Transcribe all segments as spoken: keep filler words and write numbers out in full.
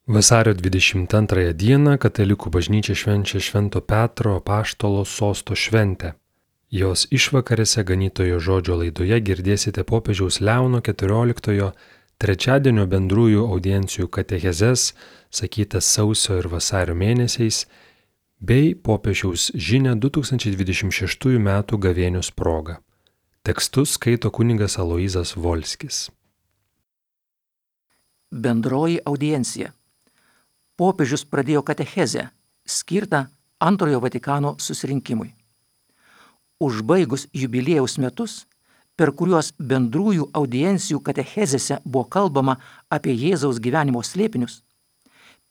Vasario dvidešimt antrąją dieną katalikų bažnyčia švenčia Švento Petro apaštalo sosto šventę. Jos išvakarėse ganytojo žodžio laidoje girdėsite popiežiaus Leono keturioliktojo trečiadienio bendrųjų audiencijų katechezes, sakytas sausio ir vasario mėnesiais, bei popiežiaus žinią du tūkstančiai dvidešimt šeštųjų metų gavėnios proga. Tekstus skaito kunigas Aloyzas Volskis. Bendroji audiencija. Popiežius pradėjo katechezę, skirtą Antrojo Vatikano susirinkimui. Užbaigus jubiliejaus metus, per kuriuos bendrųjų audiencijų katechezėse buvo kalbama apie Jėzaus gyvenimo slėpinius,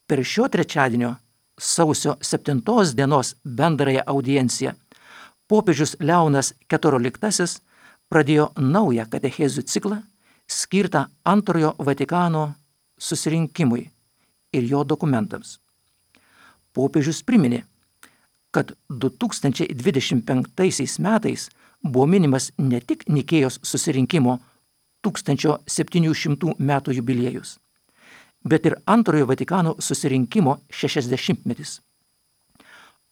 per šio trečiadienio sausio septintos dienos bendrąją audienciją popiežius Leonas keturioliktasis pradėjo naują katechezių ciklą, skirtą Antrojo Vatikano susirinkimui ir jo dokumentams. Popiežius priminė, kad du tūkstančiai dvidešimt penktaisiais metais buvo minimas ne tik Nikėjos susirinkimo tūkstančio septynių šimtų metų jubiliejus, bet ir Antrojo Vatikano susirinkimo šešiasdešimtmetis.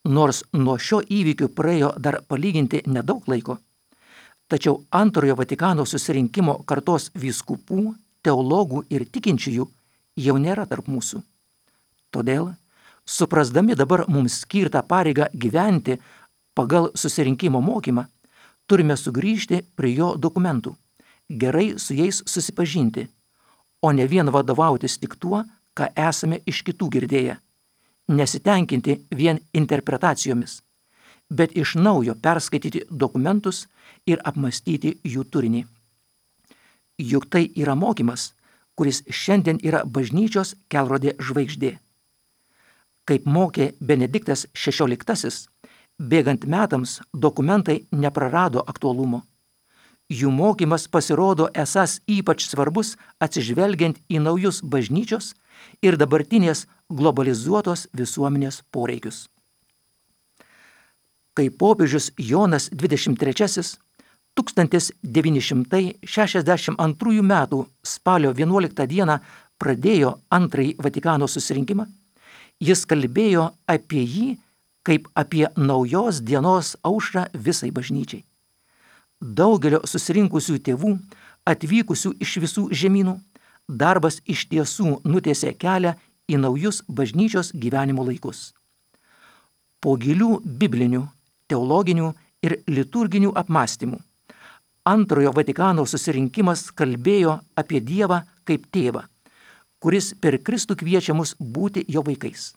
Nors nuo šio įvykio praėjo dar palyginti nedaug laiko, tačiau Antrojo Vatikano susirinkimo kartos vyskupų, teologų ir tikinčiųjų jau nėra tarp mūsų. Todėl, suprasdami dabar mums skirtą pareigą gyventi pagal susirinkimo mokymą, turime sugrįžti prie jo dokumentų, gerai su jais susipažinti, o ne vien vadovautis tik tuo, ką esame iš kitų girdėję, nesitenkinti vien interpretacijomis, bet iš naujo perskaityti dokumentus ir apmastyti jų turinį. Juk tai yra mokymas, kuris šiandien yra bažnyčios kelrodė žvaigždė. Kaip mokė Benediktas šešioliktasis, bėgant metams dokumentai neprarado aktualumo. Jų mokymas pasirodo esąs ypač svarbus atsižvelgiant į naujus bažnyčios ir dabartinės globalizuotos visuomenės poreikius. Kai popiežius Jonas dvidešimt trečiasis tūkstantis devyni šimtai šešiasdešimt antrųjų metų spalio vienuoliktą dieną pradėjo Antrąjį Vatikano susirinkimą, jis kalbėjo apie jį kaip apie naujos dienos aušrą visai bažnyčiai. Daugelio susirinkusių tėvų, atvykusių iš visų žemynų, darbas iš tiesų nutiesė kelią į naujus bažnyčios gyvenimo laikus. Po gilių biblinių, teologinių ir liturginių apmąstymų, Antrojo Vatikano susirinkimas kalbėjo apie Dievą kaip tėvą, kuris per Kristų kviečia mus būti jo vaikais.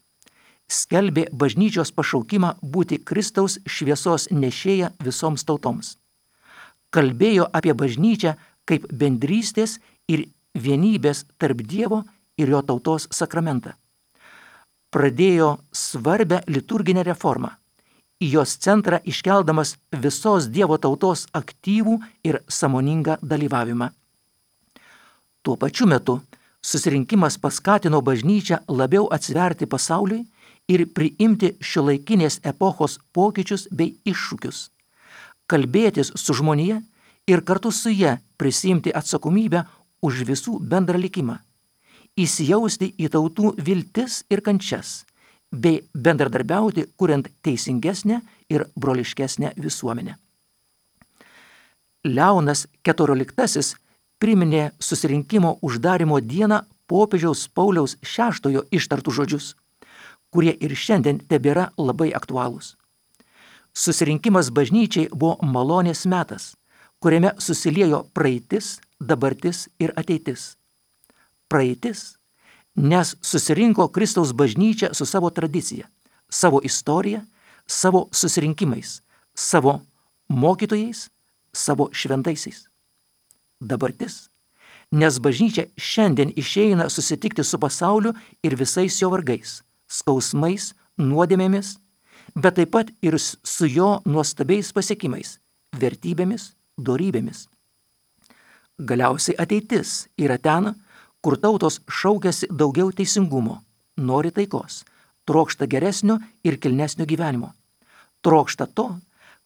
Skelbė bažnyčios pašaukimą būti Kristaus šviesos nešėja visoms tautoms. Kalbėjo apie bažnyčią kaip bendrystės ir vienybės tarp Dievo ir jo tautos sakramentą. Pradėjo svarbią liturginę reformą, į jos centrą iškeldamas visos Dievo tautos aktyvų ir sąmoningą dalyvavimą. Tuo pačiu metu susirinkimas paskatino bažnyčią labiau atsiverti pasauliui ir priimti šiuolaikinės epochos pokyčius bei iššūkius, kalbėtis su žmonija ir kartu su ja prisiimti atsakomybę už visų bendrą likimą, įsijausti į tautų viltis ir kančias, bei bendradarbiauti, kuriant teisingesnę ir broliškesnę visuomenę. Leonas keturioliktasis priminė susirinkimo uždarimo dieną popiežiaus Pauliaus šeštojo ištartų žodžius, kurie ir šiandien tebėra labai aktualūs. Susirinkimas bažnyčiai buvo malonės metas, kuriame susiliejo praeitis, dabartis ir ateitis. Praeitis, nes susirinko Kristaus bažnyčia su savo tradicija, savo istorija, savo susirinkimais, savo mokytojais, savo šventaisiais. Dabartis, nes bažnyčia šiandien išeina susitikti su pasauliu ir visais jo vargais, skausmais, nuodėmėmis, bet taip pat ir su jo nuostabiais pasiekimais, vertybėmis, dorybėmis. Galiausiai ateitis yra ten, kur tautos šaukiasi daugiau teisingumo, nori taikos, trokšta geresnio ir kilnesnio gyvenimo, trokšta to,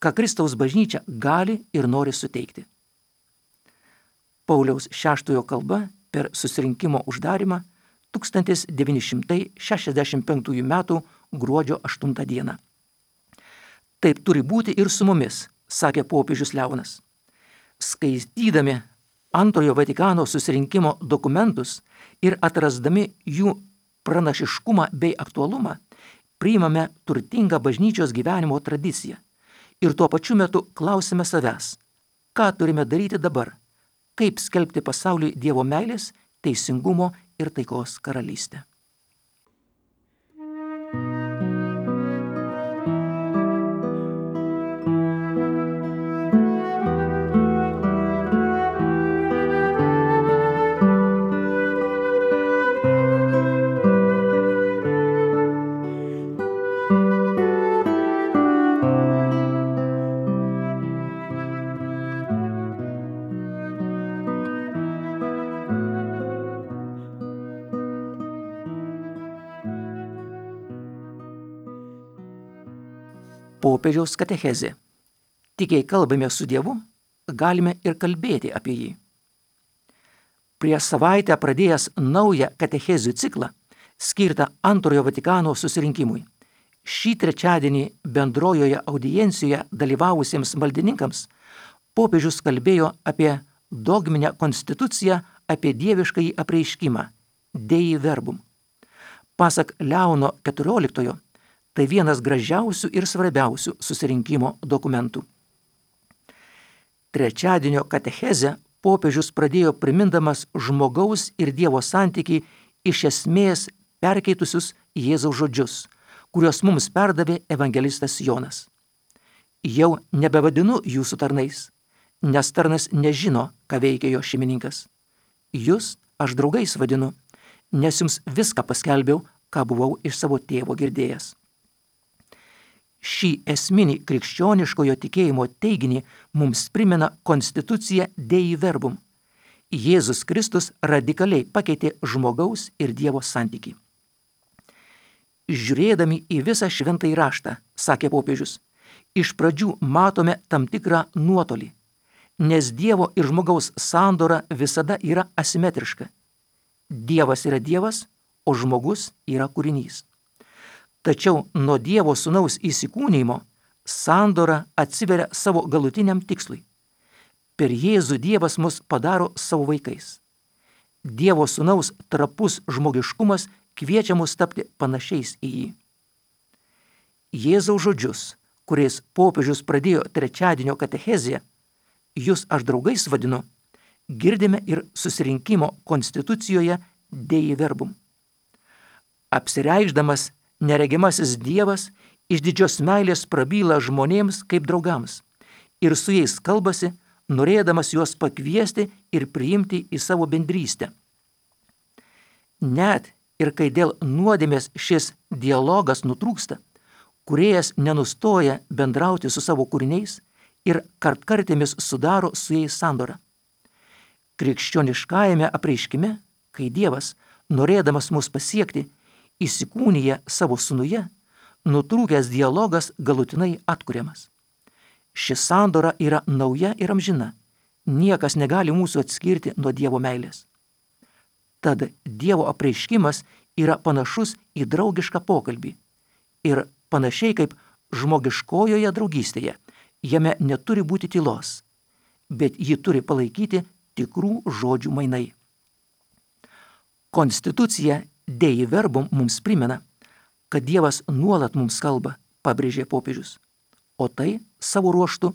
ką Kristaus bažnyčia gali ir nori suteikti. Pauliaus šeštojo kalba per susirinkimo uždarimą tūkstantis devyni šimtai šešiasdešimt penktųjų metų gruodžio aštuntą dieną. Taip turi būti ir su mumis, sakė popiežius Leonas. Skaitydami Antrojo Vatikano susirinkimo dokumentus ir atrasdami jų pranašiškumą bei aktualumą, priimame turtingą bažnyčios gyvenimo tradiciją ir tuo pačiu metu klausime savęs, ką turime daryti dabar, kaip skelbti pasauliui Dievo meilės, teisingumo ir taikos karalystę. Popiežiaus katechezė. Tik jei kalbame su Dievu, galime ir kalbėti apie jį. Prieš savaitę pradėjęs naują katechezių ciklą, skirtą Antrojo Vatikano susirinkimui, šį trečiadienį bendrojoje audiencijoje dalyvavusiems maldininkams popiežius kalbėjo apie dogminę konstituciją, apie dieviškąjį apreiškimą Dei Verbum. Pasak Leono keturioliktojo, tai vienas gražiausių ir svarbiausių susirinkimo dokumentų. Trečiadienio katechezę popiežius pradėjo primindamas žmogaus ir Dievo santykį iš esmės perkeitusius Jėzaus žodžius, kuriuos mums perdavė evangelistas Jonas. Jau nebevadinu jūsų tarnais, nes tarnas nežino, ką veikia jo šeimininkas. Jūs aš draugais vadinu, nes jums viską paskelbiau, ką buvau iš savo tėvo girdėjęs. Šį esminį krikščioniškojo tikėjimo teiginį mums primena konstitucija Dei Verbum. Jėzus Kristus radikaliai pakeitė žmogaus ir Dievo santykį. Žiūrėdami į visą šventąjį raštą, sakė popiežius, iš pradžių matome tam tikrą nuotolį, nes Dievo ir žmogaus sandora visada yra asimetriška. Dievas yra Dievas, o žmogus yra kūrinys. Tačiau nuo Dievo sūnaus įsikūnijimo sandora atsiveria savo galutiniam tikslui. Per Jėzų Dievas mus padaro savo vaikais. Dievo sūnaus trapus žmogiškumas kviečia mus tapti panašiais į jį. Jėzaus žodžius, kuriais popiežius pradėjo trečiadienio katecheziją, jūs aš draugais vadinu, girdime ir susirinkimo konstitucijoje Dei Verbum. Apsireikšdamas neregimasis Dievas iš didžios meilės prabyla žmonėms kaip draugams ir su jais kalbasi, norėdamas juos pakviesti ir priimti į savo bendrystę. Net ir kai dėl nuodėmės šis dialogas nutrūksta, kūrėjas nenustoja bendrauti su savo kūriniais ir kartkartėmis sudaro su jais sandorą. Krikščioniškajame apreiškime, kai Dievas, norėdamas mus pasiekti, įsikūnyje savo sūnuje, nutrūkęs dialogas galutinai atkuriamas. Ši sandora yra nauja ir amžina. Niekas negali mūsų atskirti nuo Dievo meilės. Tad Dievo apreiškimas yra panašus į draugišką pokalbį. Ir panašiai kaip žmogiškojoje draugystėje, jame neturi būti tylos, bet ji turi palaikyti tikrų žodžių mainai. Konstitucija Dei Verbum mums primena, kad Dievas nuolat mums kalba, pabrėžė popiežius, o tai savo ruožtu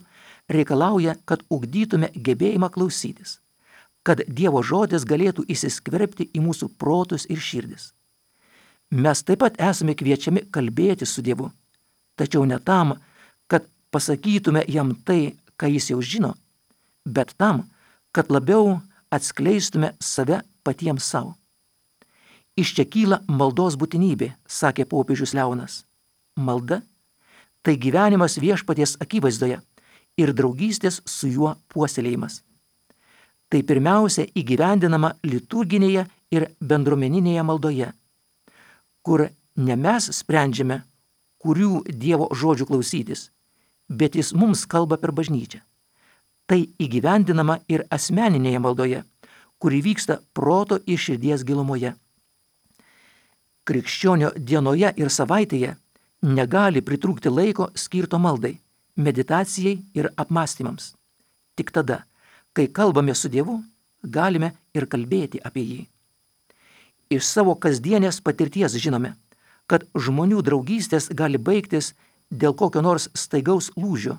reikalauja, kad ugdytume gebėjimą klausytis, kad Dievo žodis galėtų įsiskverbti į mūsų protus ir širdis. Mes taip pat esame kviečiami kalbėti su Dievu, tačiau ne tam, kad pasakytume jam tai, ką jis jau žino, bet tam, kad labiau atskleistume save patiems savo. Iš čia kyla maldos būtinybė, sakė popiežius Leonas. Malda – tai gyvenimas viešpaties akivaizdoje ir draugystės su juo puoselėjimas. Tai pirmiausia įgyvendinama liturginėje ir bendruomeninėje maldoje, kur ne mes sprendžiame, kurių Dievo žodžių klausytis, bet jis mums kalba per bažnyčią. Tai įgyvendinama ir asmeninėje maldoje, kuri vyksta proto ir širdies gilumoje. Krikščionio dienoje ir savaitėje negali pritrūkti laiko skirto maldai, meditacijai ir apmąstymams. Tik tada, kai kalbame su Dievu, galime ir kalbėti apie jį. Iš savo kasdienės patirties žinome, kad žmonių draugystės gali baigtis dėl kokio nors staigaus lūžio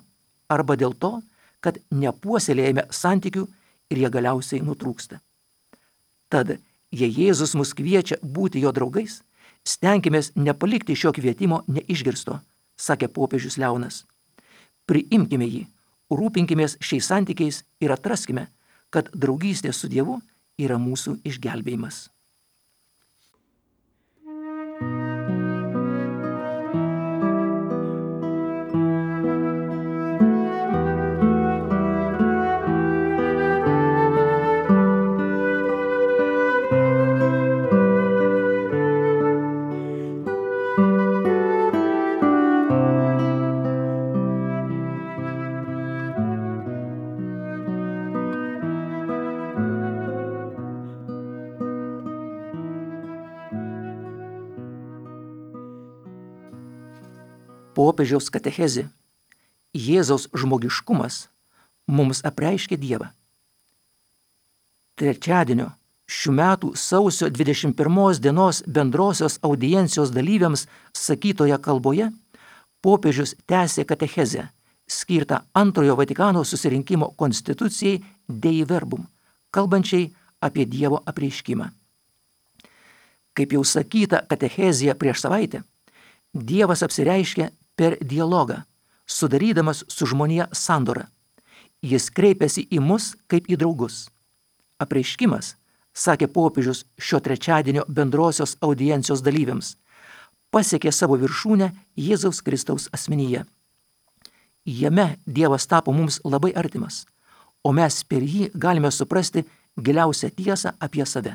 arba dėl to, kad nepuoselėjame santykių ir jie galiausiai nutrūksta. Tad, jei Jėzus mus kviečia būti jo draugais, stenkimės nepalikti šio kvietimo neišgirsto, sakė popiežius Leonas. Priimkime jį, rūpinkimės šiais santykiais ir atraskime, kad draugystė su Dievu yra mūsų išgelbėjimas. Popiežiaus katechezė Jėzaus žmogiškumas mums apreiškia Dievą. Trečiadienio šių metų sausio dvidešimt pirmos dienos bendrosios audiencijos dalyviams sakytoje kalboje popiežius tęsė katechezę, skirtą antrojo Vatikano susirinkimo konstitucijai Dei Verbum, kalbančiai apie Dievo apreiškimą. Kaip jau sakyta katechezėje prieš savaitę, Dievas apsireiškia per dialogą, sudarydamas su žmonija sandorą. Jis kreipiasi į mus kaip į draugus. Apreiškimas, sakė popiežius šio trečiadienio bendrosios audiencijos dalyviams, pasiekė savo viršūnę Jėzaus Kristaus asmenyje. Jame Dievas tapo mums labai artimas, o mes per jį galime suprasti giliausią tiesą apie save.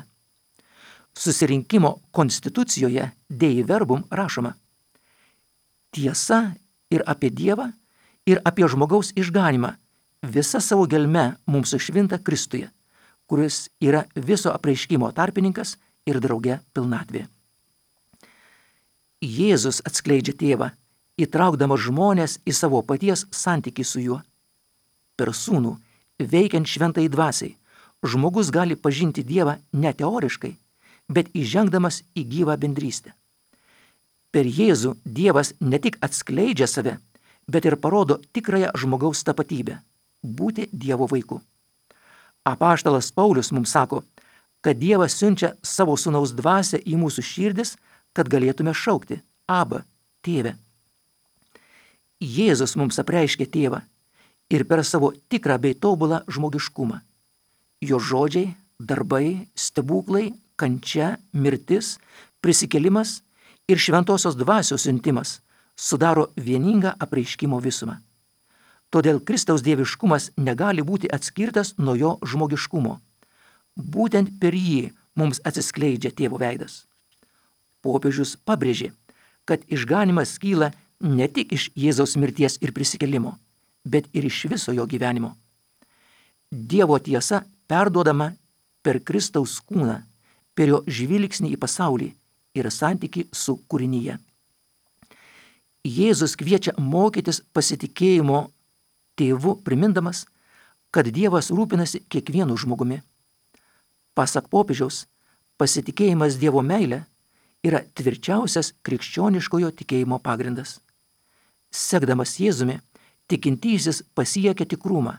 Susirinkimo konstitucijoje Dei Verbum rašoma: tiesa ir apie Dievą, ir apie žmogaus išganymą visa savo gelme mums sušvinta Kristuje, kuris yra viso apreiškimo tarpininkas ir drauge pilnatvė. Jėzus atskleidžia tėvą, įtraukdamas žmonės į savo paties santykį su juo. Per sūnų, veikiant šventai dvasiai, žmogus gali pažinti Dievą ne teoriškai, bet įžengdamas į gyvą bendrystę. Per Jėzų Dievas ne tik atskleidžia save, bet ir parodo tikrąją žmogaus tapatybę – būti Dievo vaiku. Apaštalas Paulius mums sako, kad Dievas siunčia savo sūnaus dvasią į mūsų širdis, kad galėtume šaukti Abba, tėve. Jėzus mums apreiškė tėvą ir per savo tikrą bei tobulą žmogiškumą. Jo žodžiai, darbai, stebuklai, kančia, mirtis, prisikėlimas ir šventosios dvasios siuntimas sudaro vieningą apreiškimo visumą. Todėl Kristaus dieviškumas negali būti atskirtas nuo jo žmogiškumo. Būtent per jį mums atsiskleidžia tėvo veidas. Popiežius pabrėžė, kad išganymas kyla ne tik iš Jėzaus mirties ir prisikėlimo, bet ir iš viso jo gyvenimo. Dievo tiesa perduodama per Kristaus kūną, per jo žvilgsnį į pasaulį ir santykį su kūrinyje. Jėzus kviečia mokytis pasitikėjimo tėvu, primindamas, kad Dievas rūpinasi kiekvienu žmogumi. Pasak popiežiaus, pasitikėjimas Dievo meile yra tvirčiausias krikščioniškojo tikėjimo pagrindas. Sekdamas Jėzumi, tikintysis pasiekia tikrumą,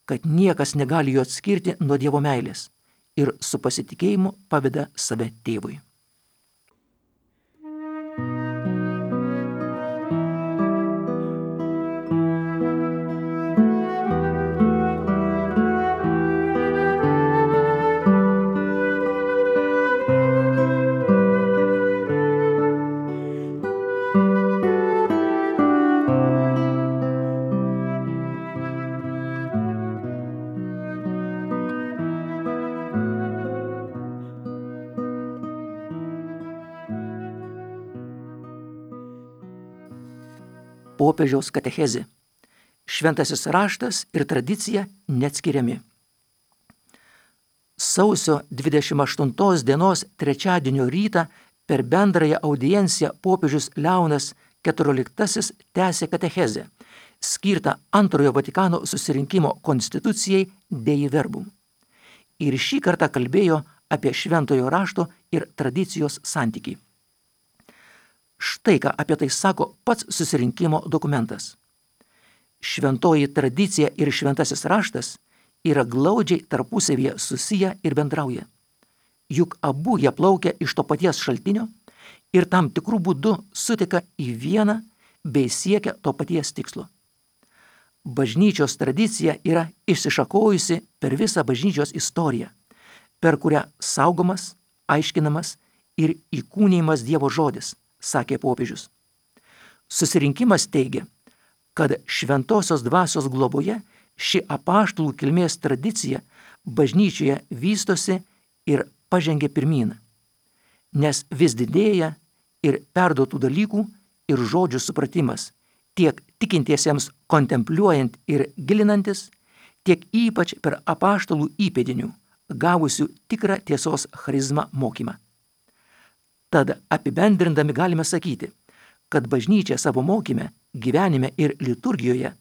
kad niekas negali jo atskirti nuo Dievo meilės ir su pasitikėjimu paveda save tėvui. Popiežiaus katechezė. Šventasis raštas ir tradicija neatskiriami. Sausio dvidešimt aštuntos dienos trečiadienio rytą Per bendrąją audienciją popiežius Leonas keturioliktasis tęsė katechezę, skirtą antrojo Vatikano susirinkimo konstitucijai Dei Verbum. Ir šį kartą kalbėjo apie šventojo rašto ir tradicijos santykį. Štai ką apie tai sako pats susirinkimo dokumentas. Šventoji tradicija ir šventasis raštas yra glaudžiai tarpusavyje susiję ir bendrauja. Juk abu jie plaukia iš to paties šaltinio ir tam tikrų būdų sutika į vieną bei siekia to paties tikslo. Bažnyčios tradicija yra išsišakojusi per visą bažnyčios istoriją, per kurią saugomas, aiškinamas ir įkūnijimas Dievo žodis, sakė popiežius. Susirinkimas teigia, kad šventosios dvasios globoje ši apaštalų kilmės tradicija bažnyčioje vystosi ir pažengia pirmyn, nes vis didėja ir perduotų dalykų ir žodžių supratimas, tiek tikintiesiems kontempliuojant ir gilinantis, tiek ypač per apaštalų įpėdinių, gavusių tikrą tiesos charizmą mokymą. Tad apibendrindami galime sakyti, kad bažnyčia savo mokyme, gyvenime ir liturgijoje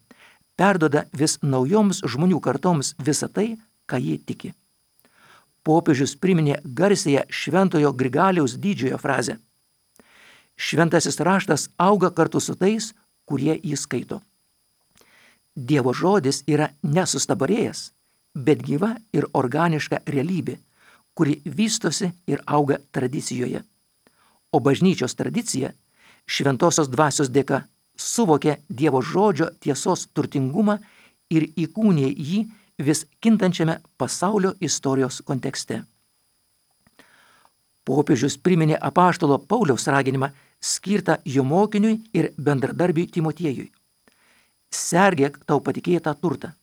perduoda vis naujoms žmonių kartoms visą tai, ką jie tiki. Popiežius priminė garsiąją šventojo Grigaliaus didžiojo frazę: šventasis raštas auga kartu su tais, kurie jį skaito. Dievo žodis yra nesustabarėjęs, bet gyva ir organiška realybė, kuri vystosi ir auga tradicijoje. O bažnyčios tradicija šventosios dvasios dėka suvokė Dievo žodžio tiesos turtingumą ir įkūnė jį vis kintančiame pasaulio istorijos kontekste. Popiežius priminė apaštalo Pauliaus raginimą skirtą jo mokiniui ir bendradarbiui Timotiejui: sergėk tau patikėtą turtą.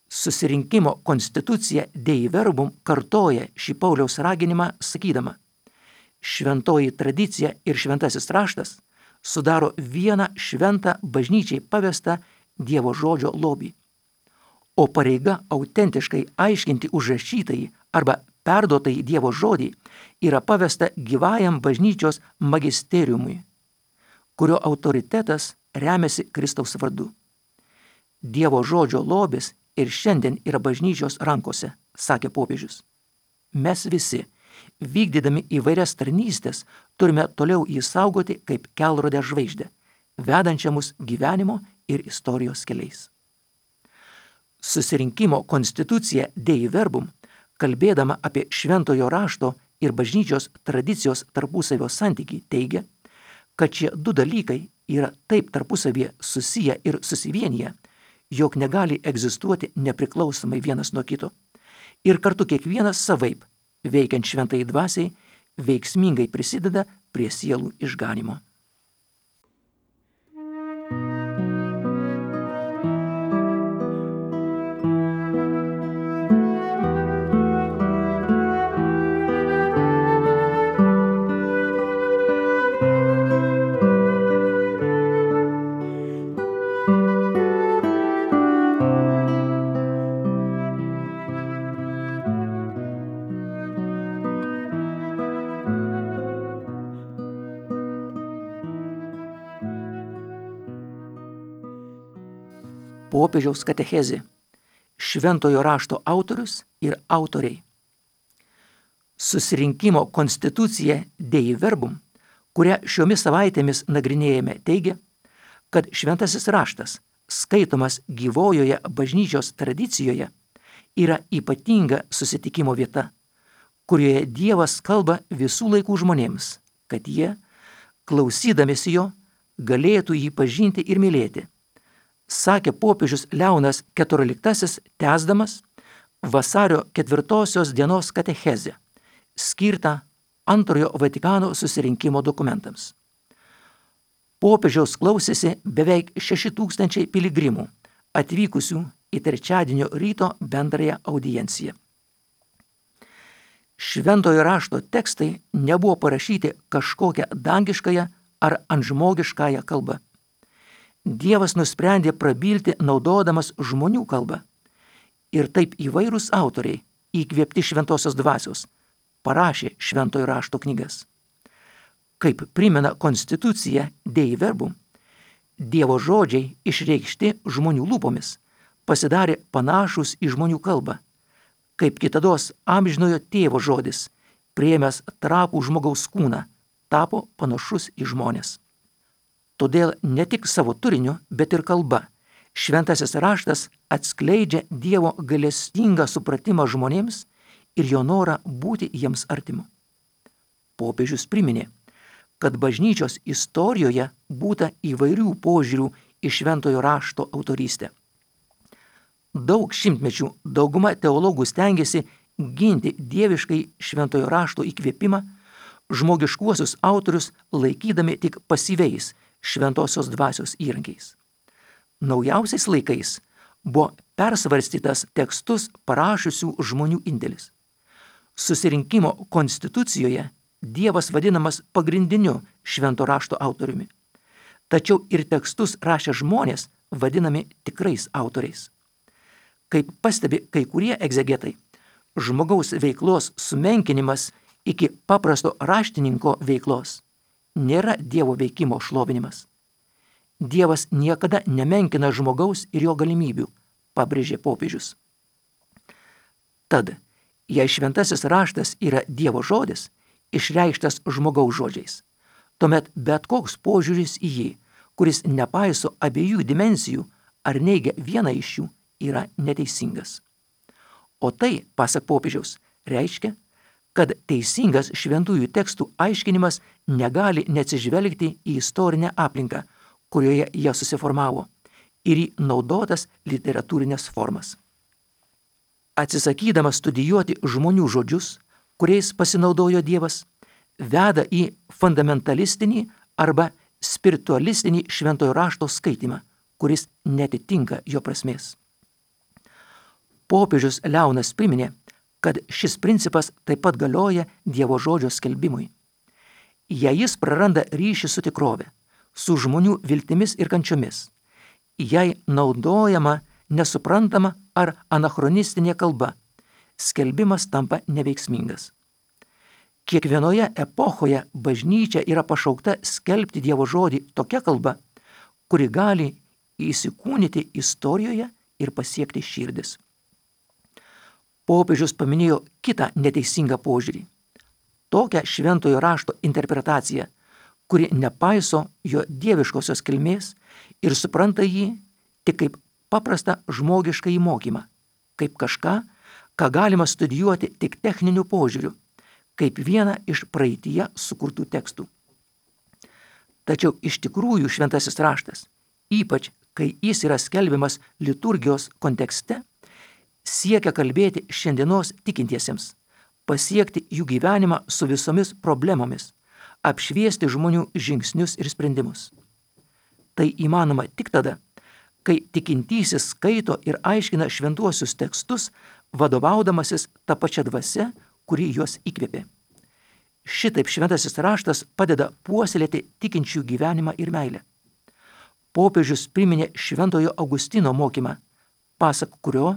Susirinkimo konstitucija Dei Verbum kartoja šį Pauliaus raginimą sakydama: šventoji tradicija ir šventasis raštas sudaro vieną šventą bažnyčiai pavestą Dievo žodžio lobį, o pareiga autentiškai aiškinti užrašytąjį arba perduotąjį Dievo žodį yra pavesta gyvajam bažnyčios magisteriumui, kurio autoritetas remiasi Kristaus vardu. Dievo žodžio lobis ir šiandien yra bažnyčios rankose, sakė popiežius. Mes visi, vykdydami įvairias tarnystės, turime toliau jį saugoti kaip kelrodę žvaigždę, vedančią mus gyvenimo ir istorijos keliais. Susirinkimo konstitucija Dei Verbum, kalbėdama apie šventojo rašto ir bažnyčios tradicijos tarpusavio santykį, teigia, kad šie du dalykai yra taip tarpusavyje susiję ir susivienyje, jog negali egzistuoti nepriklausomai vienas nuo kito, ir kartu kiekvienas savaip, veikiant šventai dvasiai, veiksmingai prisideda prie sielų išganymo. Popiežiaus katechezė, šventojo rašto autorius ir autoriai. Susirinkimo konstitucija Dei Verbum, kurią šiomis savaitėmis nagrinėjame, teigia, kad šventasis raštas, skaitomas gyvojoje bažnyčios tradicijoje, yra ypatinga susitikimo vieta, kurioje Dievas kalba visų laikų žmonėms, kad jie, klausydamėsi jo, galėtų jį pažinti ir mylėti, sakė popiežius Leonas keturioliktasis, tęsdamas vasario ketvirtosios dienos katechezę, skirtą antrojo Vatikano susirinkimo dokumentams. Popiežiaus klausėsi beveik šeši tūkstančiai piligrimų, atvykusių į trečiadienio ryto bendrąją audienciją. Šventojo rašto tekstai nebuvo parašyti kažkokią dangiškąją ar antžmogiškąją kalbą. Dievas nusprendė prabilti naudodamas žmonių kalbą. Ir taip įvairūs autoriai, įkvėpti šventosios dvasios, parašė šventojo rašto knygas. Kaip primena konstitucija Dei Verbum, Dievo žodžiai išreikšti žmonių lūpomis pasidarė panašus į žmonių kalbą, kaip kitados amžinojo tėvo žodis, priėmęs trapų žmogaus kūną, tapo panašus į žmones. Todėl ne tik savo turiniu, bet ir kalba šventasis raštas atskleidžia Dievo gailestingą supratimą žmonėms ir jo norą būti jiems artimu. Popiežius priminė, kad bažnyčios istorijoje būta įvairių požiūrių į šventojo rašto autorystę. Daug šimtmečių dauguma teologų stengiasi ginti dieviškai šventojo rašto įkvėpimą, žmogiškuosius autorius laikydami tik pasyviais šventosios dvasios įrankiais. Naujausiais laikais buvo persvarstytas tekstus parašiusių žmonių indėlis. Susirinkimo konstitucijoje Dievas vadinamas pagrindiniu švento rašto autoriumi, tačiau ir tekstus rašę žmonės vadinami tikrais autoriais. Kaip pastebi kai kurie egzegetai, žmogaus veiklos sumenkinimas iki paprasto raštininko veiklos nėra Dievo veikimo šlovinimas. Dievas niekada nemenkina žmogaus ir jo galimybių, pabrėžė popiežius. Tad, jei šventasis raštas yra Dievo žodis, išreikštas žmogaus žodžiais, tuomet bet koks požiūris į jį, kuris nepaiso abiejų dimensijų ar neigia vieną iš jų, yra neteisingas. O tai, pasak popiežiaus, reiškia, kad teisingas šventųjų tekstų aiškinimas negali neatsižvelgti į istorinę aplinką, kurioje jie susiformavo, ir į naudotas literatūrinės formas. Atsisakydamas studijuoti žmonių žodžius, kuriais pasinaudojo Dievas, veda į fundamentalistinį arba spiritualistinį šventojo rašto skaitymą, kuris netitinka jo prasmės. Popiežius Leonas priminė, kad šis principas taip pat galioja Dievo žodžio skelbimui. Jei jis praranda ryšį su tikrove, su žmonių viltimis ir kančiomis, jei naudojama nesuprantama ar anachronistinė kalba, skelbimas tampa neveiksmingas. Kiekvienoje epochoje bažnyčia yra pašaukta skelbti Dievo žodį tokia kalba, kuri gali įsikūnyti istorijoje ir pasiekti širdis. Popiežius paminėjo kitą neteisingą požiūrį. Tokią šventojo rašto interpretaciją, kuri nepaiso jo dieviškosios kilmės ir supranta jį tik kaip paprastą žmogišką įmokymą, kaip kažką, ką galima studijuoti tik techniniu požiūriu, kaip vieną iš praeityje sukurtų tekstų. Tačiau iš tikrųjų šventasis raštas, ypač kai jis yra skelbiamas liturgijos kontekste, siekia kalbėti šiandienos tikintiesiems, pasiekti jų gyvenimą su visomis problemomis, apšviesti žmonių žingsnius ir sprendimus. Tai įmanoma tik tada, kai tikintysis skaito ir aiškina šventuosius tekstus, vadovaudamasis tą pačią dvasią, kuri juos įkvėpė. Šitaip šventasis raštas padeda puoselėti tikinčių gyvenimą ir meilę. Popiežius priminė šventojo Augustino mokymą, pasak kurio,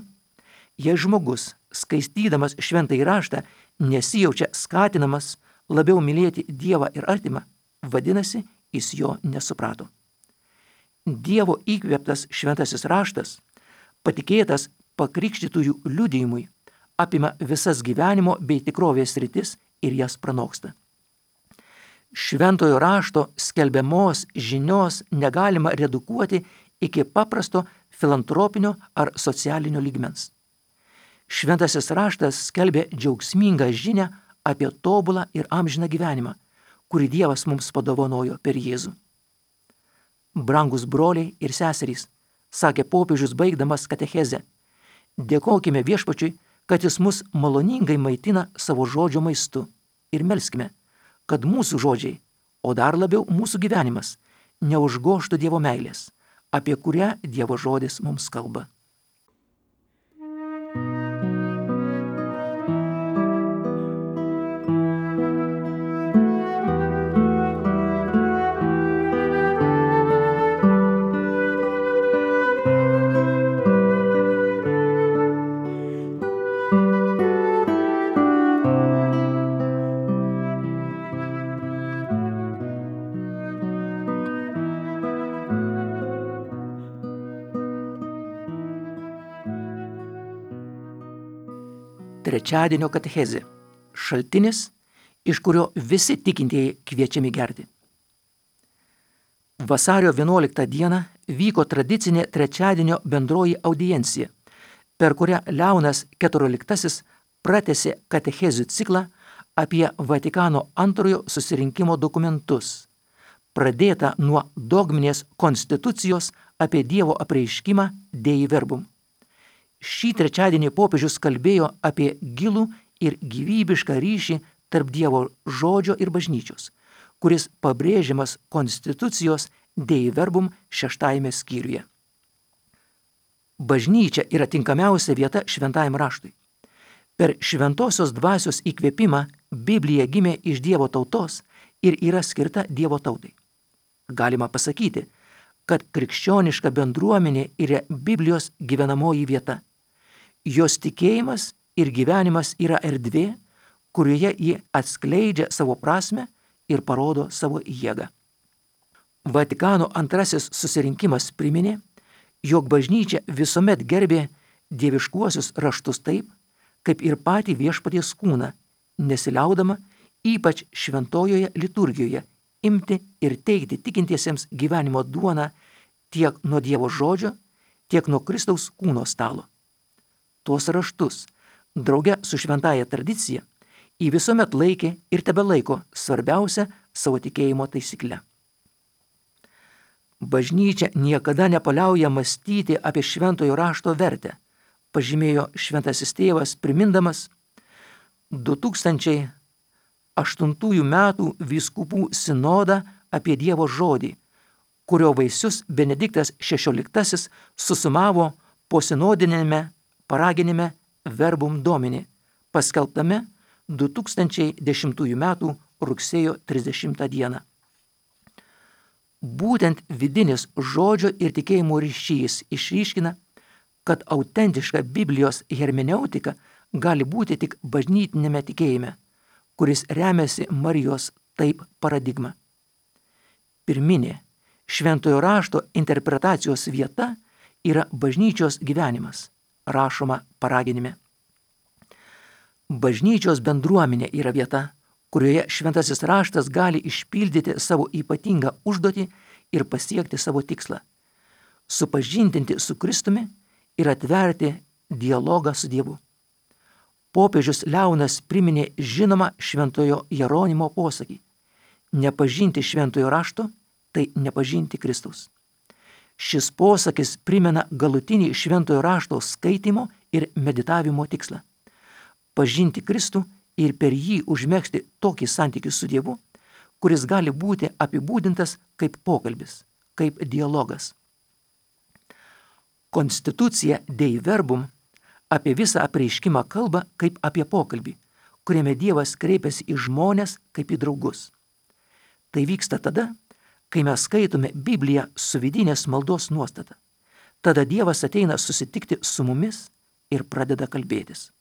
jei žmogus, skaitydamas šventąjį raštą, nesijaučia skatinamas labiau mylėti Dievą ir artimą, vadinasi, jis jo nesuprato. Dievo įkvėptas šventasis raštas, patikėtas pakrikštytųjų liudijimui, apima visas gyvenimo bei tikrovės sritis ir jas pranoksta. Šventojo rašto skelbiamos žinios negalima redukuoti iki paprasto filantropinio ar socialinio lygmens. Šventasis raštas skelbia džiaugsmingą žinią apie tobulą ir amžiną gyvenimą, kurį Dievas mums padovanojo per Jėzų. Brangus broliai ir seserys, sakė popiežius baigdamas katechezę, dėkokime Viešpačiui, kad jis mus maloningai maitina savo žodžio maistu ir melskime, kad mūsų žodžiai, o dar labiau mūsų gyvenimas, neužgožtų Dievo meilės, apie kurią Dievo žodis mums kalba. trečiadienio katechezė, šaltinis, iš kurio visi tikintieji kviečiami gerti. Vasario vienuoliktą dieną vyko tradicinė trečiadienio bendroji audiencija, per kurią Leonas keturioliktasis pratęsė katechezių ciklą apie Vatikano antrojo susirinkimo dokumentus, pradėtą nuo dogminės konstitucijos apie Dievo apreiškimą Dei Verbum. Šį trečiadienį popiežius kalbėjo apie gilų ir gyvybišką ryšį tarp Dievo žodžio ir bažnyčios, kuris pabrėžiamas konstitucijos Dei Verbum šeštajame skyriuje. Bažnyčia yra tinkamiausia vieta šventajam raštui. Per šventosios dvasios įkvėpimą Biblija gimė iš Dievo tautos ir yra skirta Dievo tautai. Galima pasakyti, kad krikščioniška bendruomenė yra Biblijos gyvenamoji vieta. Jos tikėjimas ir gyvenimas yra erdvė, kurioje ji atskleidžia savo prasmę ir parodo savo jėgą. Vatikano antrasis susirinkimas priminė, jog bažnyčia visuomet gerbė dieviškuosius raštus taip, kaip ir patį viešpaties kūną, nesiliaudama, ypač šventojoje liturgijoje, imti ir teikti tikintiesiems gyvenimo duoną tiek nuo Dievo žodžio, tiek nuo Kristaus kūno stalo. Tuos raštus, drauge su šventąja tradicija, į visuomet laikė ir tebelaiko svarbiausia savo tikėjimo taisykle. Bažnyčia niekada nepaliauja mąstyti apie šventojo rašto vertę, pažymėjo šventasis tėvas, primindamas du tūkstančiai aštuntųjų metų vyskupų sinodą apie Dievo žodį, kurio vaisius Benediktas šešioliktasis susumavo po sinodinėme paraginime Verbum Domini, paskelbtame du tūkstančiai dešimtųjų metų rugsėjo trisdešimtą dieną. Būtent vidinis žodžio ir tikėjimo ryšys išryškina, kad autentiška Biblijos hermeneutika gali būti tik bažnytinėme tikėjime, kuris remiasi Marijos taip paradigma. Pirminė šventojo rašto interpretacijos vieta yra bažnyčios gyvenimas, rašoma paraginime. Bažnyčios bendruomenė yra vieta, kurioje šventasis raštas gali išpildyti savo ypatingą užduotį ir pasiekti savo tikslą – supažindinti su Kristumi ir atverti dialogą su Dievu. Popiežius Leonas priminė žinomą šventojo Jeronimo posakį: nepažinti šventojo rašto, tai nepažinti Kristaus. Šis posakis primena galutinį šventojo rašto skaitimo ir meditavimo tikslą – pažinti Kristų ir per jį užmegzti tokį santykį su Dievu, kuris gali būti apibūdintas kaip pokalbis, kaip dialogas. Konstitucija Dei Verbum apie visą apreiškimą kalba kaip apie pokalbį, kuriame Dievas kreipiasi į žmones kaip į draugus. Tai vyksta tada, kai mes skaitome Bibliją su vidinės maldos nuostata. Tada Dievas ateina susitikti su mumis ir pradeda kalbėtis.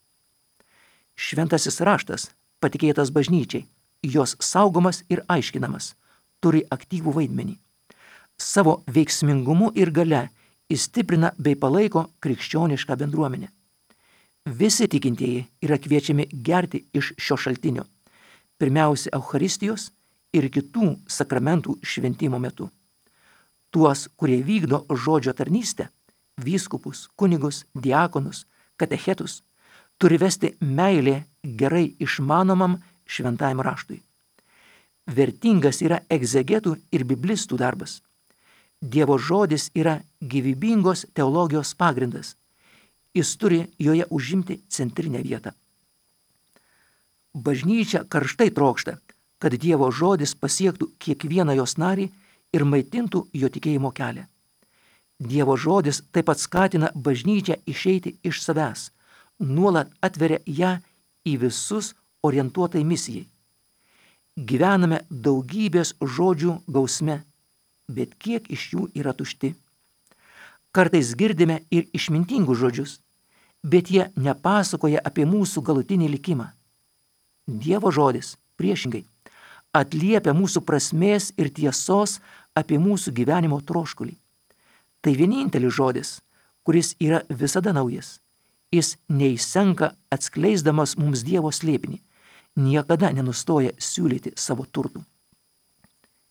Šventasis raštas, patikėtas bažnyčiai, jos saugomas ir aiškinamas, turi aktyvų vaidmenį. Savo veiksmingumu ir gale įstiprina bei palaiko krikščionišką bendruomenę. Visi tikintieji yra kviečiami gerti iš šio šaltinio, pirmiausia Eucharistijos ir kitų sakramentų šventimo metu. Tuos, kurie vykdo žodžio tarnystę, vyskupus, kunigus, diakonus, katechetus, turi vesti meilė gerai išmanomam šventajam raštui. Vertingas yra egzegetų ir biblistų darbas. Dievo žodis yra gyvybingos teologijos pagrindas. Jis turi joje užimti centrinę vietą. Bažnyčia karštai trokšta, kad Dievo žodis pasiektų kiekvieną jos narį ir maitintų jo tikėjimo kelią. Dievo žodis taip pat skatina bažnyčią išeiti iš savęs, nuolat atveria ją į visus orientuotai misijai. Gyvename daugybės žodžių gausme, bet kiek iš jų yra tušti. Kartais girdime ir išmintingus žodžius, bet jie nepasakoja apie mūsų galutinį likimą. Dievo žodis, priešingai, atliepia mūsų prasmės ir tiesos apie mūsų gyvenimo troškulį. Tai vienintelis žodis, kuris yra visada naujas. Jis neįsenka atskleisdamas mums Dievo slėpinį, niekada nenustoja siūlyti savo turtų.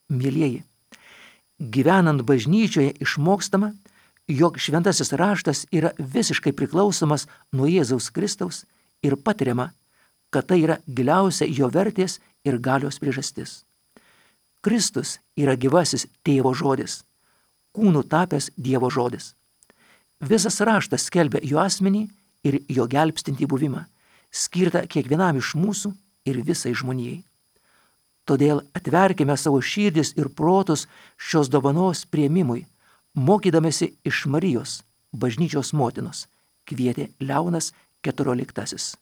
Mielieji, gyvenant bažnyčioje išmokstama, jog šventasis raštas yra visiškai priklausomas nuo Jėzaus Kristaus ir patiriama, kad tai yra giliausia jo vertės ir galios priežastis. Kristus yra gyvasis tėvo žodis, kūnų tapęs Dievo žodis. Visas raštas skelbia jo asmenį ir jo gelbstintį buvimą, skirtą kiekvienam iš mūsų ir visai žmonijai. Todėl atverkime savo širdis ir protus šios dovanos priėmimui, mokydamėsi iš Marijos, bažnyčios motinos, kvietė Leonas keturioliktasis.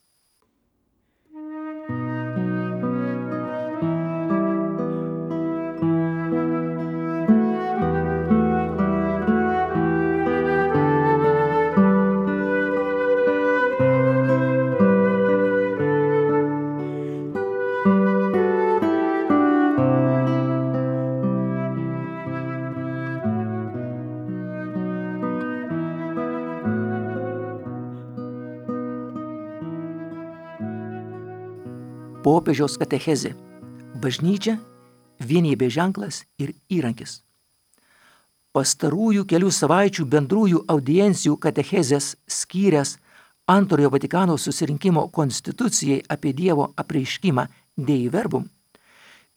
Popiežiaus katechezė. Bažnyčia – vienybės ženklas ir įrankis. Pastarųjų kelių savaičių bendrųjų audiencijų katechezės skyręs Antrojo Vatikano susirinkimo konstitucijai apie Dievo apreiškimą Dei Verbum,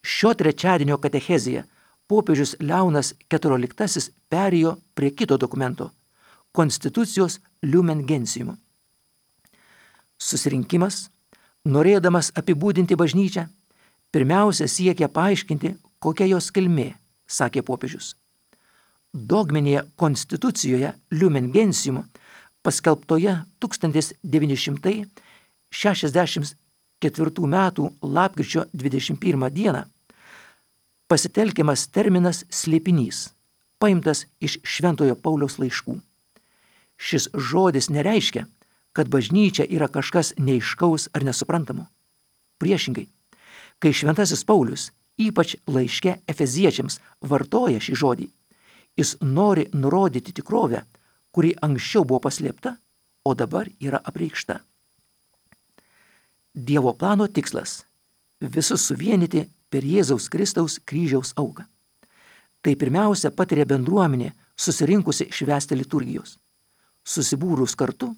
šio trečiadienio katechezėje popiežius Leonas keturioliktasis perėjo prie kito dokumento – konstitucijos Lumen Gentium. Susirinkimas, norėdamas apibūdinti bažnyčią, pirmiausia siekia paaiškinti, kokia jos kilmė, sakė popiežius. Dogminėje konstitucijoje Lumen Gentium, paskelbtoje tūkstantis devyni šimtai šešiasdešimt ketvirtų metų lapkričio dvidešimt pirmą dieną, pasitelkiamas terminas slėpinys, paimtas iš Šventojo Pauliaus laiškų. Šis žodis nereiškia, kad bažnyčia yra kažkas neaiškaus ar nesuprantamo. Priešingai, kai Šventasis Paulius, ypač laiške Efeziečiams, vartoja šį žodį, jis nori nurodyti tikrovę, kuri anksčiau buvo paslėpta, o dabar yra apreikšta. Dievo plano tikslas – visus suvienyti per Jėzaus Kristaus kryžiaus auką. Tai pirmiausia patiria bendruomenė, susirinkusi švęsti liturgijos. Susibūrus kartu,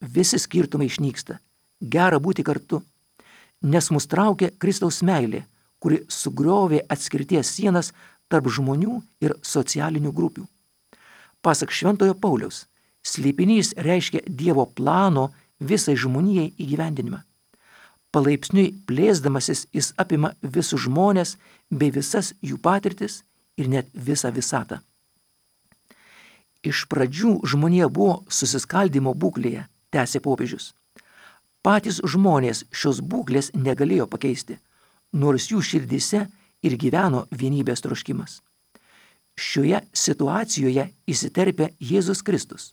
visi skirtumai išnyksta, gera būti kartu, nes mus traukia Kristaus meilė, kuri sugriovė atskirties sienas tarp žmonių ir socialinių grupių. Pasak Šventojo Pauliaus, slėpinys reiškia Dievo plano visai žmonijai įgyvendinimą. Palaipsniui plėsdamasis jis apima visus žmones bei visas jų patirtis ir net visą visatą. Iš pradžių žmonija buvo susiskaldimo būklėje, tęsė popiežius. Patys žmonės šios būklės negalėjo pakeisti, nors jų širdyse ir gyveno vienybės troškimas. Šioje situacijoje įsiterpia Jėzus Kristus,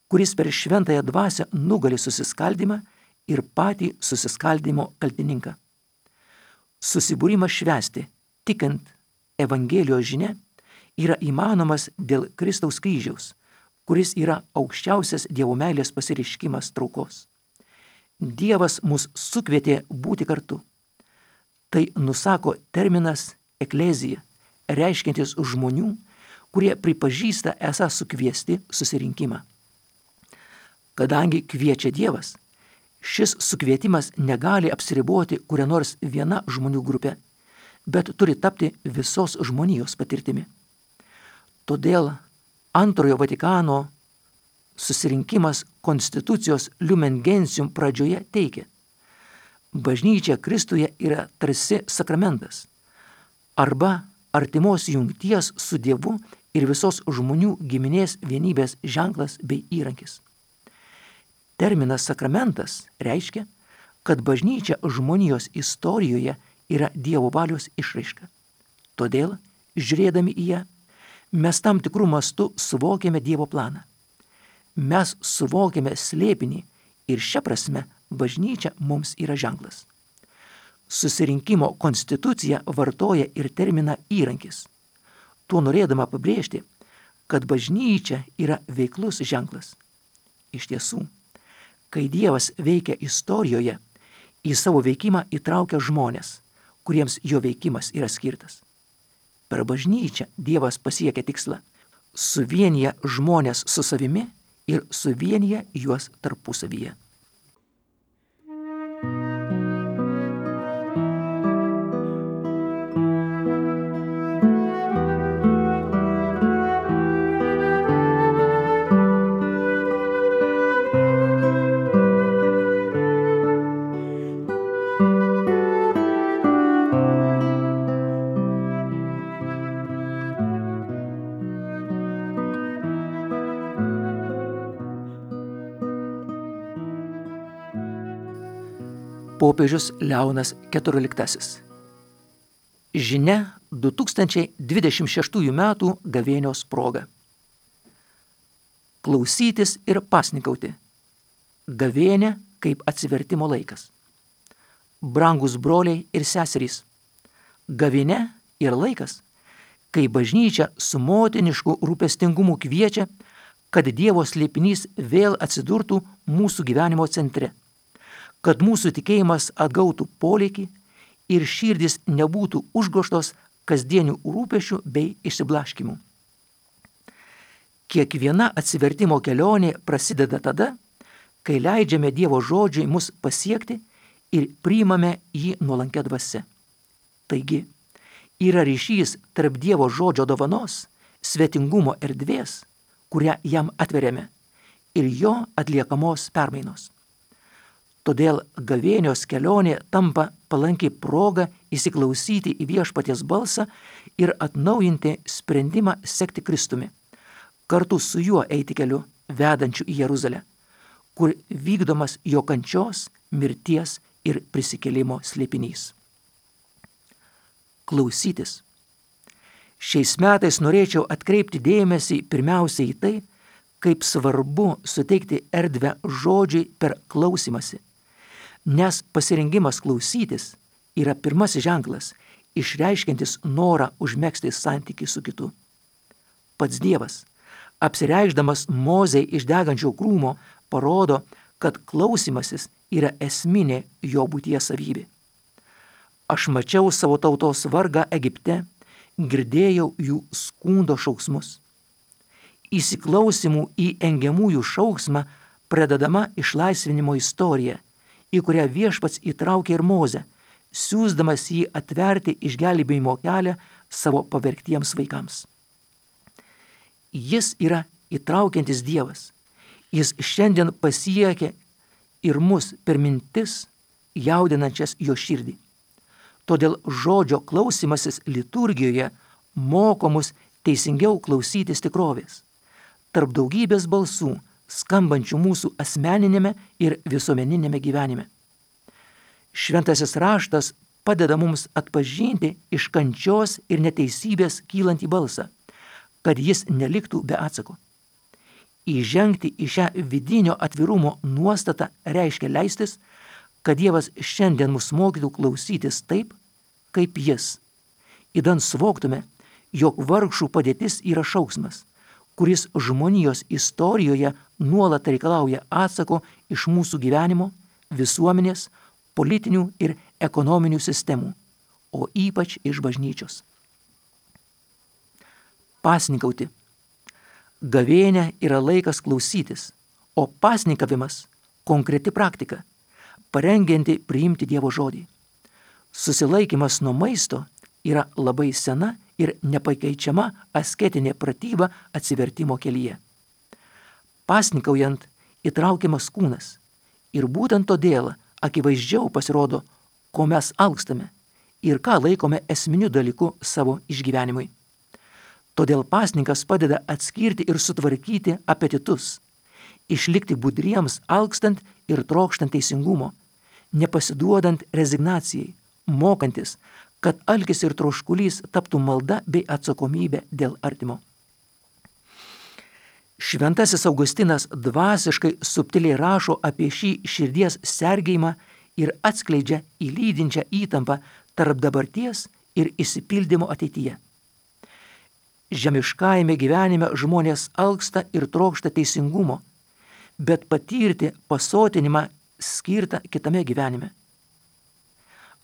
kuris per šventąją dvasią nugali susiskaldimą ir patį susiskaldimo kaltininką. Susibūrimas švęsti, tikint Evangelijos žinia, yra įmanomas dėl Kristaus kryžiaus, kuris yra aukščiausias Dievo meilės pasireiškimas traukos. Dievas mus sukvietė būti kartu. Tai nusako terminas eklezija, reiškiantis žmonių, kurie pripažįsta esą sukviesti susirinkimą. Kadangi kviečia Dievas, šis sukvietimas negali apsiriboti kuria nors viena žmonių grupė, bet turi tapti visos žmonijos patirtimi. Todėl Antrojo Vatikano susirinkimas konstitucijos Lumen Gentium pradžioje teigia: bažnyčia Kristuje yra tarsi sakramentas arba artimos jungties su Dievu ir visos žmonių giminės vienybės ženklas bei įrankis. Terminas sakramentas reiškia, kad bažnyčia žmonijos istorijoje yra Dievo valios išraiška. Todėl, žiūrėdami į ją, mes tam tikrų mastų suvokiame Dievo planą. Mes suvokiame slėpinį ir šia prasme bažnyčia mums yra ženklas. Susirinkimo konstitucija vartoja ir terminą įrankis, tuo norėdama pabrėžti, kad bažnyčia yra veiklus ženklas. Iš tiesų, Kai Dievas veikia istorijoje, į savo veikimą įtraukia žmonės, kuriems jo veikimas yra skirtas. Per bažnyčią Dievas pasiekia tikslą, suvienyje žmonės su savimi ir suvienyje juos tarpusavyje. Popiežius Leonas keturioliktasis. Žinia du tūkstančiai dvidešimt šeštųjų metų gavėnios proga. Klausytis ir pasnikauti. Gavėnė kaip atsivertimo laikas. Brangus broliai ir seserys, gavėnė yra laikas, kai bažnyčia su motinišku rūpestingumu kviečia, kad Dievo slėpinys vėl atsidurtų mūsų gyvenimo centre, kad mūsų tikėjimas atgautų polėkį ir širdis nebūtų užgožtos kasdienių rūpesčių bei išsiblaškimų. Kiekviena atsivertimo kelionė prasideda tada, kai leidžiame Dievo žodžiui mus pasiekti ir priimame jį nuolankia dvasia. Taigi, yra ryšys tarp Dievo žodžio dovanos, svetingumo erdvės, kurią jam atveriame, ir jo atliekamos permainos. Todėl gavėnios kelionė tampa palankiai proga įsiklausyti į viešpaties balsą ir atnaujinti sprendimą sekti Kristumi, kartu su juo eiti keliu vedančiu į Jeruzalę, kur vykdomas jo kančios, mirties ir prisikėlimo slėpinys. Klausytis. Šiais metais norėčiau atkreipti dėmesį pirmiausia į tai, kaip svarbu suteikti erdvę žodžiui per klausymąsi, nes pasirengimas klausytis yra pirmasis ženklas, išreiškiantis norą užmegzti santykį su kitu. Pats Dievas, apsireikšdamas Mozei iš degančio krūmo, parodo, kad klausymasis yra esminė jo būties savybė. Aš mačiau savo tautos vargą Egipte, girdėjau jų skundo šauksmus. Įsiklausimų į engiamųjų šauksmą pradedama išlaisvinimo istorija, į kurią viešpats įtraukė ir Mozę, siųsdamas jį atverti išgelbėjimo kelią savo pavergtiems vaikams. Jis yra įtraukiantis Dievas. Jis šiandien pasiekia ir mus per mintis, jaudinančias jo širdį. Todėl žodžio klausymasis liturgijoje moko mus teisingiau klausytis tikrovės, tarp daugybės balsų, skambančių mūsų asmeninėme ir visuomeninėme gyvenime. Šventasis raštas padeda mums atpažinti iš kančios ir neteisybės kylantį balsą, kad jis neliktų be atsako. Įžengti į šią vidinio atvirumo nuostatą reiškia leistis, kad Dievas šiandien mus mokytų klausytis taip, kaip jis. Įdant suvoktume, jog vargšų padėtis yra šauksmas, kuris žmonijos istorijoje nuolat reikalauja atsako iš mūsų gyvenimo, visuomenės, politinių ir ekonominių sistemų, o ypač iš bažnyčios. Pasnikauti. Gavėnė yra laikas klausytis, o pasnikavimas – konkreti praktika, parengianti priimti Dievo žodį. Susilaikymas nuo maisto yra labai sena ir nepakeičiama asketinė pratyba atsivertimo kelyje. Pasnikaujant įtraukiamas kūnas ir būtent todėl akivaizdžiau pasirodo, ko mes alkstame ir ką laikome esminiu dalyku savo išgyvenimui. Todėl pasninkas padeda atskirti ir sutvarkyti apetitus, išlikti budriems alkstant ir trokštant teisingumo, nepasiduodant rezignacijai, mokantis, kad alkis ir troškulys taptų malda bei atsakomybė dėl artimo. Šventasis Augustinas dvasiškai subtiliai rašo apie šį širdies sergėjimą ir atskleidžia įlydinčią įtampą tarp dabarties ir išsipildymo ateityje. Žemiškajame gyvenime žmonės alksta ir trokšta teisingumo, bet patirti pasotinimą skirtą kitame gyvenime.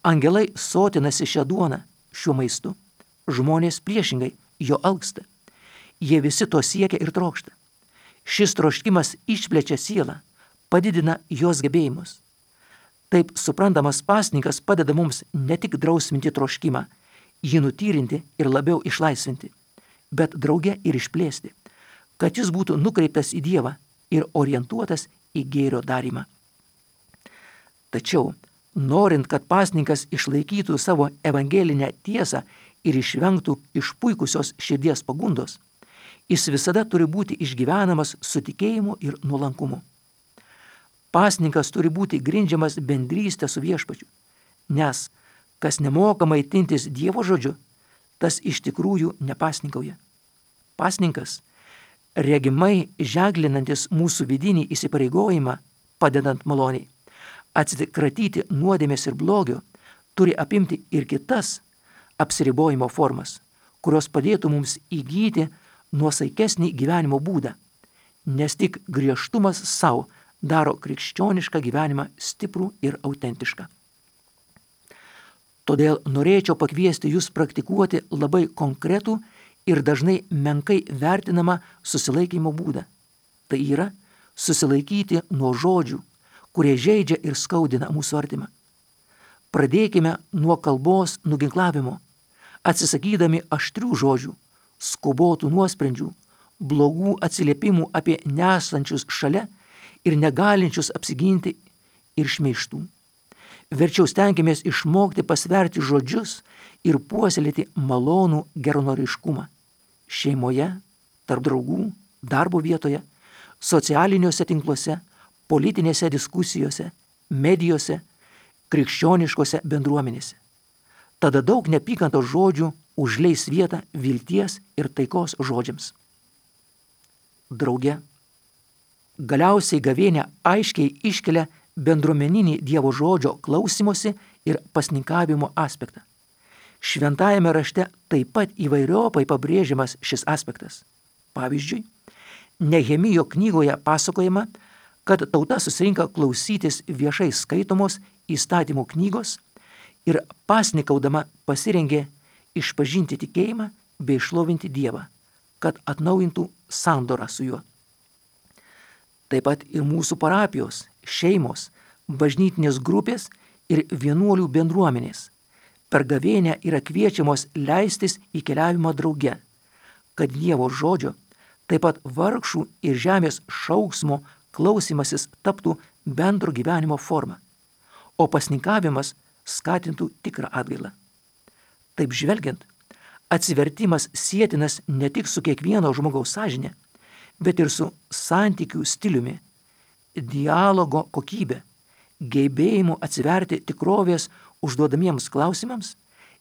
Angelai sotinasi šią duoną, šiuo maistu, žmonės priešingai jo alksta. Jie visi to siekia ir trokšta. Šis troškimas išplečia sielą, padidina jos gebėjimus. Taip suprantamas pasninkas padeda mums ne tik drausminti troškimą, jį nutyrinti ir labiau išlaisvinti, bet drauge ir išplėsti, kad jis būtų nukreiptas į Dievą ir orientuotas į gėrio darymą. Tačiau, norint, kad pasninkas išlaikytų savo evangelinę tiesą ir išvengtų išpuikusios širdies pagundos, jis visada turi būti išgyvenamas su tikėjimu ir nuolankumu. Pasninkas turi būti grindžiamas bendrystė su Viešpačiu, nes kas nemoka maitintis Dievo žodžiu, tas iš tikrųjų nepasninkauja. Pasninkas, regimai ženklinantis mūsų vidinį įsipareigojimą, padedant maloniai, atsikratyti nuodėmės ir blogio, turi apimti ir kitas apsiribojimo formas, kurios padėtų mums įgyti nuosaikesnį gyvenimo būdą, nes tik griežtumas savo daro krikščionišką gyvenimą stiprų ir autentišką. Todėl norėčiau pakviesti jūs praktikuoti labai konkretų ir dažnai menkai vertinamą susilaikymo būdą. Tai yra susilaikyti nuo žodžių, kurie žeidžia ir skaudina mūsų artimą. Pradėkime nuo kalbos nuginklavimo, atsisakydami aštrių žodžių, skubotų nuosprendžių, blogų atsiliepimų apie nesančius šalia ir negalinčius apsiginti ir šmeižtų. Verčiau stenkimės išmokti pasverti žodžius ir puoselėti malonų geranoriškumą šeimoje, tarp draugų, darbo vietoje, socialiniuose tinkluose, politinėse diskusijose, medijose, krikščioniškose bendruomenėse. Tada daug neapykantos žodžių užleis vietą vilties ir taikos žodžiams. Drauge, galiausiai gavėnia aiškiai iškelia bendruomeninį Dievo žodžio klausimosi ir pasninkavimo aspektą. Šventajame rašte taip pat įvairiopai pabrėžiamas šis aspektas. Pavyzdžiui, Nehemijo knygoje pasakojama, kad tauta susirinka klausytis viešai skaitomos įstatymų knygos ir pasnikaudama pasirengė išpažinti tikėjimą bei šlovinti Dievą, kad atnaujintų sandorą su juo. Taip pat ir mūsų parapijos, šeimos, bažnytinės grupės ir vienuolių bendruomenės per gavėnią yra kviečiamos leistis į keliavimą drauge, kad Dievo žodžio, taip pat vargšų ir žemės šauksmo klausimasis taptų bendro gyvenimo forma, o pasninkavimas skatintų tikrą atgailą. Taip žvelgiant, atsivertimas sietinas ne tik su kiekvieno žmogaus sąžinė, bet ir su santykių stiliumi, dialogo kokybė, gebėjimu atsiverti tikrovės užduodamiems klausimams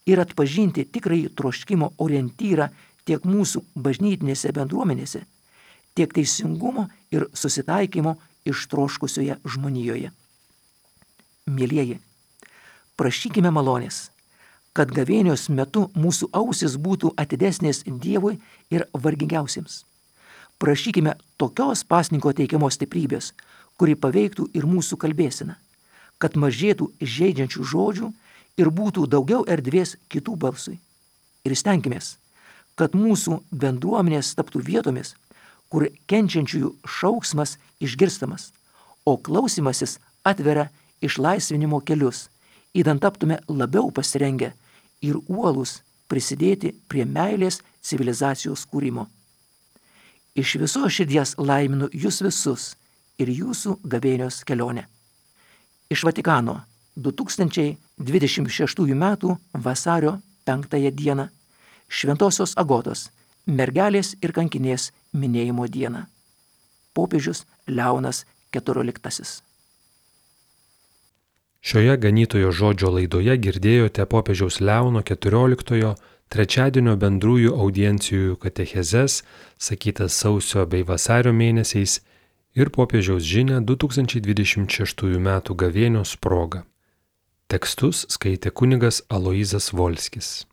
ir atpažinti tikrąjį troškimo orientyrą tiek mūsų bažnytinėse bendruomenėse, tiek teisingumo ir susitaikymo ištroškusioje žmonijoje. Mielieji, prašykime malonės, kad gavėnios metu mūsų ausis būtų atidesnės Dievui ir vargingiausiems. Prašykime tokios pasninko teikiamos stiprybės, kuri paveiktų ir mūsų kalbėseną, kad mažėtų žeidžiančių žodžių ir būtų daugiau erdvės kitų balsui. Ir stenkimės, kad mūsų bendruomenės taptų vietomis, kur kenčiančiųjų šauksmas išgirstamas, o klausimasis atveria išlaisvinimo kelius, įdant taptume labiau pasirengę ir uolūs prisidėti prie meilės civilizacijos kūrimo. Iš visos širdies laiminu jūs visus ir jūsų gavėnios kelionę. Iš Vatikano du tūkstančiai dvidešimt šeštųjų metų vasario penktąją dieną Šventosios Agotos, mergelės ir kankinės minėjimo dieną. Popiežius Leonas keturioliktasis. Šioje ganytojo žodžio laidoje girdėjote popiežiaus Leono keturioliktojo trečiadienio bendrųjų audiencijų katechezes, sakytas sausio bei vasario mėnesiais, ir popiežiaus žinią du tūkstančiai dvidešimt šeštųjų metų gavėnios proga. Tekstus skaitė kunigas Aloyzas Volskis.